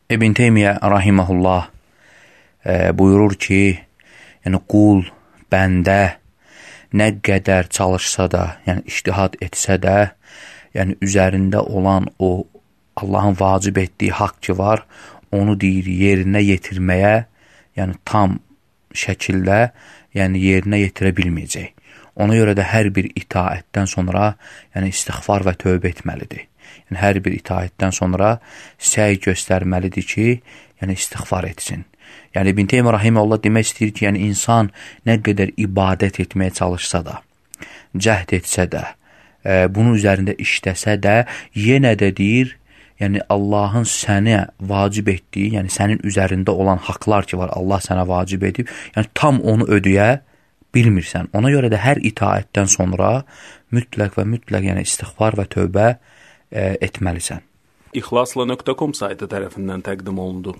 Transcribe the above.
İbn Teymiyyə rahimehullah buyurur ki, yəni qul, bəndə nə qədər çalışsa da, yəni ictihad etsə də, yəni üzərində olan o Allahın vacib etdiyi haqq ki var, onu deyir yerinə yetirməyə, yəni tam şəkildə, yəni yerinə yetirə bilməyəcək. Ona görə də hər bir itaətdən sonra, yəni istiğfar və tövbə etməlidir. Yəni hər bir itaətdən sonra səy göstərməlidir ki, yəni istiğfar etsin. Yəni İbn Teymiyyə rahimehullah demək istəyir ki, yəni insan nə qədər ibadət etməyə çalışsa da, cəhd etsə də, bunun üzərində işləsə də, yenə də deyir, yəni Allahın sənə vacib etdiyi, yəni sənin üzərində olan haqlar ki var, Allah sənə vacib edib, yəni tam onu ödəyə bilmirsən. Ona görə də hər itaətdən sonra mütləq və mütləq yəni istiğfar və tövbə etməlisən. İxlasla.com saytı tərəfindən təqdim olundu.